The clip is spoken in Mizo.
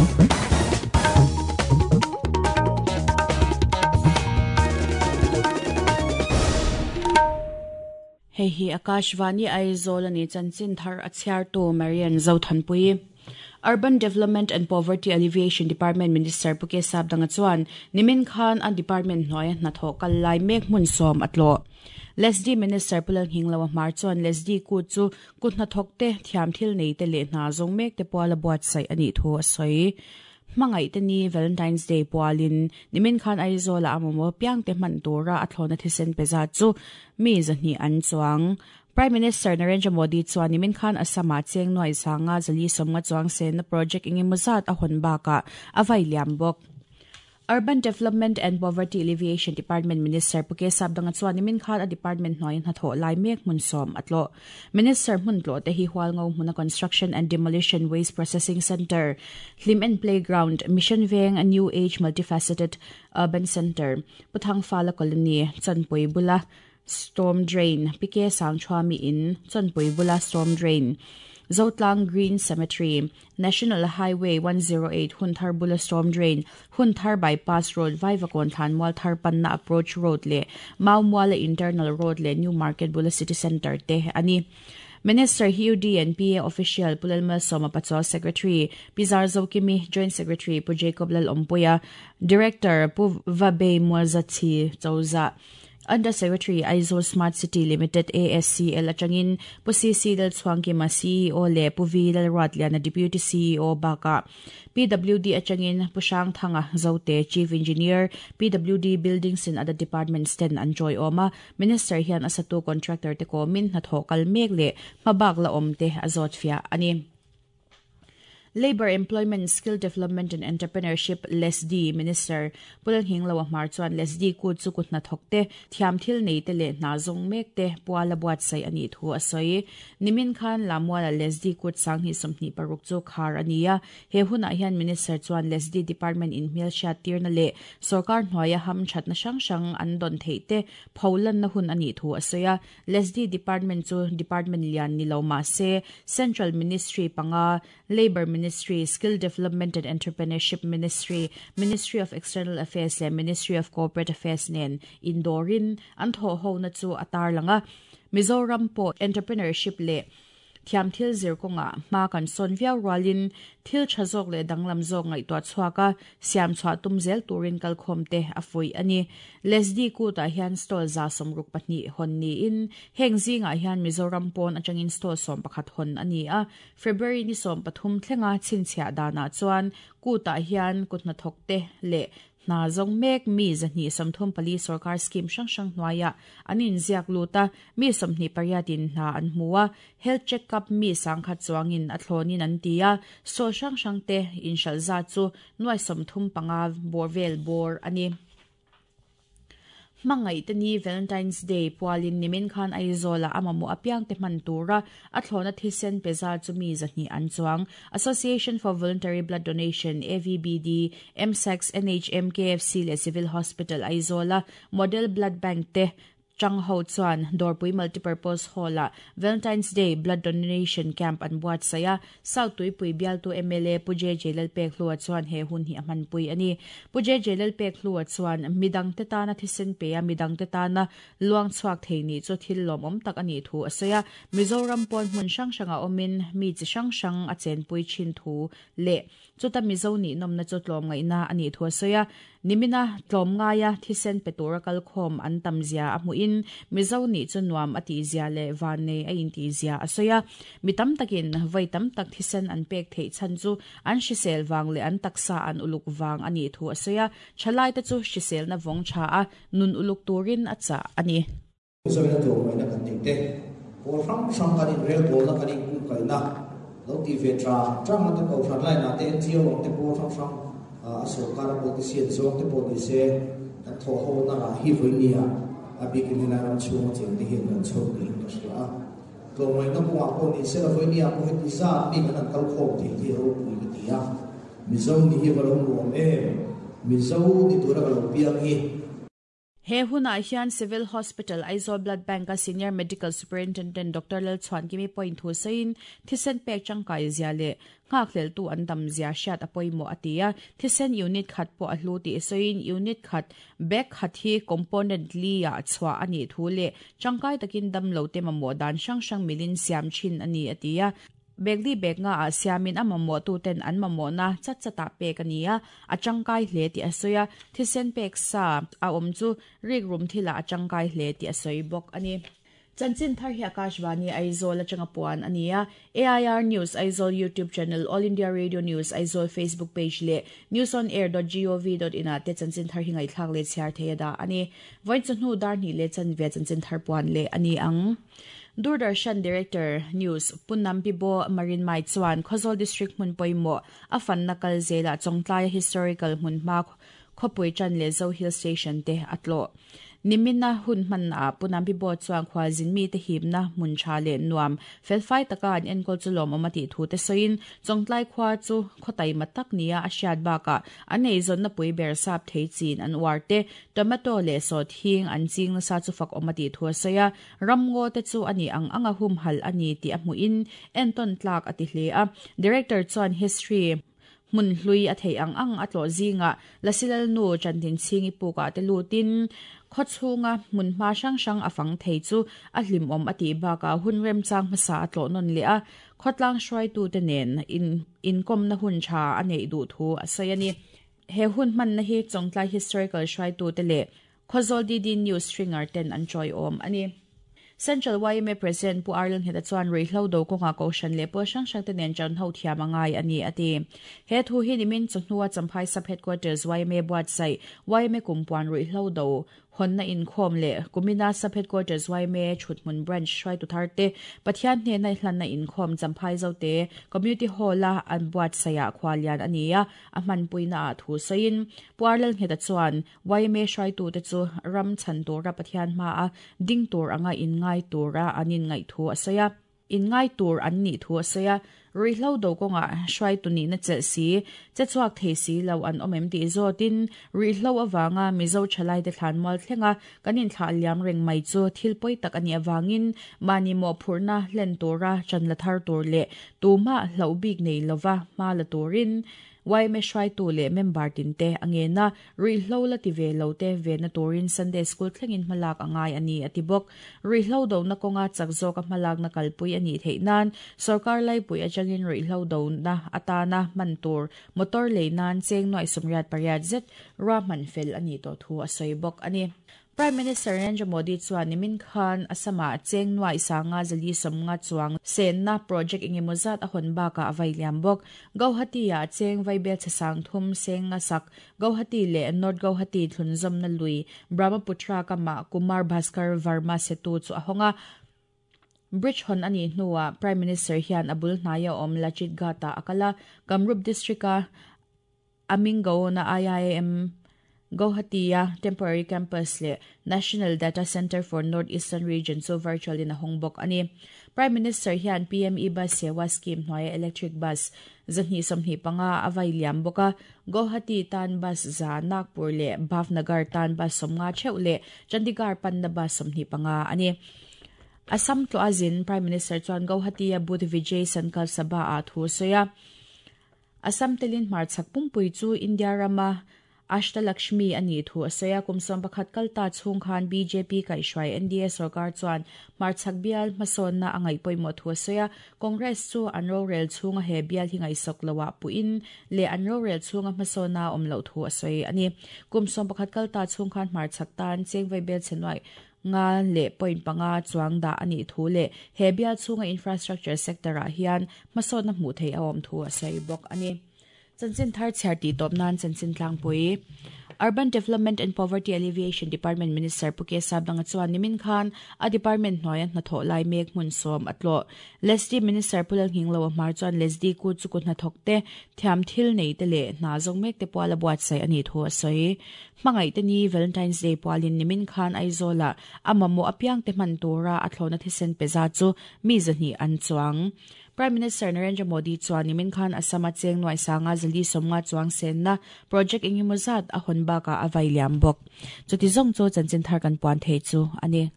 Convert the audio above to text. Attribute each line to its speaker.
Speaker 1: Hei hi Akashvani Aizawl a ni chanchin thar a chhiartu Marian Zothanpui. Urban Development and Poverty Alleviation Department Minister Pu Kesap Danga chuan nimin khan a department hnuaia hnathawh kal lai mek hmun sawm a tlawh. Lesdi Minister Pu Lalnghingloa Hmar chuan Lesdi kut chu kut hnathawkte, thiam thil neite leh hna zawng mekte puala buatsaih a nih thu a sawi. Hmangaihte ni Valentine's Day pualin nimin khan Aizawla a mamawh piangte hman tura a thlawhna thisen pe zat chu mi 200 an chuang. Prime Minister Narendra Modi chuan nimin khan Assam-ah cheng nuai sanga zali sawmnga chuang senna project engemaw zat a hawn bakah a vai liam bawk. Urban Development and Poverty Alleviation Department Minister Pu Kesap Danga chuan nimin khan a department hnuaia hnathawh lai mek hmun sawm a tlawh. Minister hmun tlawh te hi Hualngo hmuna Construction and Demolition Waste Processing Centre, Hlim and Playground, Mission Veng New Age Multifaceted Urban Centre, Pu Thangfala Colony, Chanpui bula Storm Drain, Pike Sangchhuami In, Chawnpui bula Storm Drain, Zotlang Green Cemetery, National Highway 108 Hunthar bula Storm Drain, Hunthar Bypass Road, Vaivakawn Thlanmual Thar panna Approach Road leh Maumuala Internal Road leh New Market bula City Centre te a ni. Minister hi UD and PA Official Pu Lalmalsawma Pachuau Secretary Pi Zarzokimi, Joint Secretary Pu Jacob Lalawmpuia, Director Pu Vabei Mualzachi Chozah, Under Secretary, Aizawl Smart City Limited, ASCL, atangin Pu CC Lalchhuangkima, CEO leh Pu V Lalruatliana, Deputy CEO bakah PWD atangin Pu Hrangthanga Zote, Chief Engineer, PWD Buildings and other departments ten an tawiawm a. Minister hian a satu contractor te kawmin hnathawh kal mek leh hmabak la awm te a zawt fiah a ni. Labour, Employment, Skill Development and Entrepreneurship, LESDI, Minister Pu Lalnghingloa Hmar chuan LESDI kut chu kut hnathawk te, thiam thil nei te leh hna zawng mek te puala buatsaih a nih thu a sawi. Nimin khan Lamuala LESDI kut 2026 chu khar a ni a. He hunah hian Minister chuan LESDI Department in hmelhriat tirna leh sawrkar hnuaia hamthatna hrang hrang an dawn theih te pholanna hun a nih thu a sawi a. LESDI Department chu Department lian ni lo mah se, Central Ministry panga, Labour Ministry, Skill Development and Entrepreneurship Ministry, Ministry of External Affairs leh Ministry of Corporate Affairs nen indawrin an thawhhona chu a tarlang a. Mizoram pawh entrepreneurship leh Thiamthil zir kawngah hma kan sawn viau rualin thil tha zawk leh danglam zawk ngaihtuah chhuak a, siam chhuah tum zel turin kalkhawm te a fuih a ni. Lesdi kutah hian stall 62 hawn niin heng zingah hian Mizoram pawn atangin stall 11 hawn a ni a. February ni 13 thlenga chhinchhiah danah chuan kutah hian kuthnathawkte leh Hna zawng mek mi 234 sorkar scheme hrang hrang hnuaiah an inziak lut a, mi 28 in hna an hmu a, health check up mi 10,000 chuangin a thlawnin an ti a, stall hrang hrang te inhralh zat chu nuai 35 bawr vel bawr a ni. Hmangaihte ni Valentine's Day pualin nimin khan Aizawlah a mamawh apiangte hman tura a thlawhna thisen pe zar chu mi 200 an chuang. Association for Voluntary Blood Donation, AVBD, MSACS, NHM, KFC leh Civil Hospital Aizawla Model Blood Bank te Chang ho chuan Dawrpui Multipurpose Hall-ah Valentine's Day Blood Donation Camp an buatsaih a, South Tuipui bialtu mla Pu JJ Lalpekhlua chuan he hun hi a hmanpui a ni. Pu JJ Lalpekhlua chuan, Midangte tana thisen pe a, midangte tana luang chhuak thei nih chu thil lawmawm tak a nih thu a sawi a. Mizoram pawn hmun hrang hrangah awmin mi chi hrang hrang a chenpui thin thu leh Chuta Mizo nih nawmna chu tlawmngaihna a nih thu a sawi a, nimina tlawmngaia thisen pe tura kalkhawm an tam zia a hmuhin Mizo nih chu nuam a tih zia leh vannei a intih zia a sawi a. Mi tam takin vawi tam tak thisen an pek theih chhan chu an hrisel vang leh an taksa an uluk vang a nih thu a sawi a, thalaite chu hriselna vawng tha a nun uluk turin a chah a ni.
Speaker 2: Zawina tlawmngaihna kan neih te, pawl hrang hrang kan inrelbawlna kan inkungkaihna lo tih ve tang tang te kohhran line-ah te NGO ang te pawl hrang hrang a sorkar a politician zawng te pawh ni se kan thawh ho na rah hi vawinia a bikin helai ram chhunga cheng te hian kan chho niin ka hria a. Tlawmngaihna kawngah pawh ni se la vawinia pawh heti zat mi kan han kal khawm thei hi a ropui ka ti a. Mizo ni hi va lo nuam em? Mizo ni tura ka lo piang hi.
Speaker 1: He hunah hian Civil Hospital, Aizawl Blood Bank-a Senior Medical Superintendent Doctor Lalchhuankimi pawhin thu sawiin thisen pek tangkai zia leh nghakhleltu an tam zia hriat a pawimawh a ti a. Thisen unit khat pawh a hlu tih sawiin unit khat bag khat hi component li-ah chhuah a nih thu leh tangkai takin damlote mamawh dan hrang hrang milin siam thin a ni a ti a. Bag li bag nga ah siamin a mamawhtuten an mamawhna chat chatah pek a ni a, a tangkai hle tih a sawi a, thisen pek sa a awm chu rikrum thilah a tangkai hle tih a sawi bawk a ni. Chanchin thar hi Akashvani Aizawl atanga puan a ni a, AIR News Aizawl YouTube channel, All India Radio News Aizawl Facebook page leh newsonair.gov.in ah te chanchin thar hi ngaihthlak leh chhiar thei a dah a ni. Vawiin chawhnu dar hnih leh chanve chanchin thar puan leh a ni ang. Doordarshan Director, News, Pu Nampibo Marinmai chuan Khawzawl District hmun pawimawh a fanna kal zelah Chawngtlaia Historical hmunhma khawpui tan leh Zo Hill Station te a tlawh. Nimina hun hmannaah Pu Nampibo chuan khualzin mite hipna hmun tha leh nuam felfai taka an enkawl chu lawmawm a tih thu te sawiin Chawngtlai khua chu khaw taima tak nia a hriat bakah an eizawnna pui ber sap thei chin an uar te, tomato leh sawhthing an ching nasa chu fak awm a tih thu a sawi a. Ramngaw te chu a nih ang anga humhalh a ni tih a hmuhin entawn tlak a ti hle a. Director chuan History hmun hlui a theih ang ang a tlawh zingah Lasilalnu Chantinchhingi pukah te lutin khawchhunga hmunhma hrang hrang a fang thei chu a hlimawm a tih bakah hun remchang hmasa a tlawh nawn leh a, khawtlang hruaitute nen inkawmna hun tha a neih duh thu a sawi a ni. He hun hmanna hi Chawngtlai Historical hruaitute leh Khawzawl DD News stringer ten an tawiawm a ni. Central yma President Pu Arleng Ngheta chuan ruihhlo do kawngah Kohhran leh pawl hrang hrang te nen ṭan ho thiam a ngai a ni a ti. He thu hi nimin chawhnua Champhai Sub Headquarters yma buatsaih yma Kumpuan ruihhlo do hawnna inkhawm leh kumina Sub Headquarters yma Thuthmun Branch hruaitu thar te Pathian hnena hlanna inkhawm Champhai Zote Community Hall-a an buatsaihah khualian a ni a, a hmanpuina ah thu sawiin Pu Arleng Ngheta chuan Yma hruaitute chu ram chhan tura Pathian hmaa ding tur anga inngai tura an inngaih thu a sawi a. Inngai tur an nih thu a sawi a. Ruihhlo do kawngah hruaitu nihna chelh si, che chhuak thei si lo an awm em tih zawtin ruihhlo avanga Mizo thalaite thlan mual thlenga kan inthlah liam reng mai chu thil pawi tak a nih avangin mahni mawhphurhna hlen tura ṭan la thar tur leh tumah hlauh bik nei lova hma la turin Yma hruaitu leh member tinte a ngen a, ruihhlo la ti ve lo te venna turin Sunday School thlengin hmalak a ngai a ni, a ti bawk. Ruihhlo dona kawnga chak zawka hmalakna kalpui a nih theih nan sawrkar laipui atangin ruihhlo dona atana hman tur motor lei nan cheng nuaih 88 zet ruahman fel a nih tawh thu a sawi bawk a ni. Prime Minister Narendra Modi chuan nimin khan Assam-ah cheng nuaih sanga zali 50 chuang senna project engemaw zat a hawn bakah a vai liam bawk. Gauhati-ah cheng vaibel chhe sang thum seng nga sak Gauhati leh North Gauhati thlunzawmna lui Brahmaputra kamah Kumar Bhaskar Varma Setu chu a hawng a. Bridge hawn a nih hnuah Prime Minister hian a bul hnaia awm Lachit Ghat-ah a kal a, Kamrup District-a Amingaon-a IIM Guwahati-a Temporary Campus leh National Data Centre for North Eastern Region chu virtual in a hawng bawk a ni. Prime Minister hian PM e-Bus Sewa Scheme hnuaia electric bus 225 a vai liam bawk a, Guwahati tan bus 100, Nagpur leh Bhavnagar tan bus 50 theuh leh Chandigarh panna bus 25 a ni. Assam tlawh a zin Prime Minister chuan Guwahati-a Budh Vijay Sankalp Sabha-ah thu a sawi a. Assam telin hmarchhak pumpui chu India rama Ashtalakshmi a nih thu a sawi a, kum 11 kal ta chhung khan bjp kaihhruai NDA sorkar chuan hmarchhak bial hmasawnna a ngaih pawimawh thu a sawi a, Congress chu an rorel chhunga he bial hi ngaihsawk loah puhin leh an rorel chhunga hmasawnna a awm loh thu a sawi a ni. Kum 11 kal ta chhung khan hmarchhak tan cheng vaibel chhe nuaih nga leh point panga chuang dah a nih thu leh he bial chhunga infrastructure sector ah hian hmasawnna hmuh theih a awm thu a sawi bawk a ni. Chanchin thar chhiar tih tawp nan chanchin tlangpui Urban Development and Poverty Alleviation Department Minister Pu K Sapdanga chuan nimin khan a department hnuaia hnathawh lai mek hmun sawm a tlawh. Lesdi Minister Pu Lalnghinglo a hmar chuan Lesdi kut chu kut hnathawk te, thiam thil nei te leh hna zawng mek te puala buatsaih a nih thu a sawi. Hmangaih te ni Valentine's Day pualin nimin khan Aizawlah a mamawh apiang te hman tura a thlawhna thisen pe zat chu mi 200 an chuang. Prime Minister Narendra Modi chuan nimin khan Assam-a cheng nuai sanga zali sawmnga chuang senna project engemaw zat a hawn bakah a vai liam bawk. Chuti zawng chu chanchin thar kan puan thei chu a ni.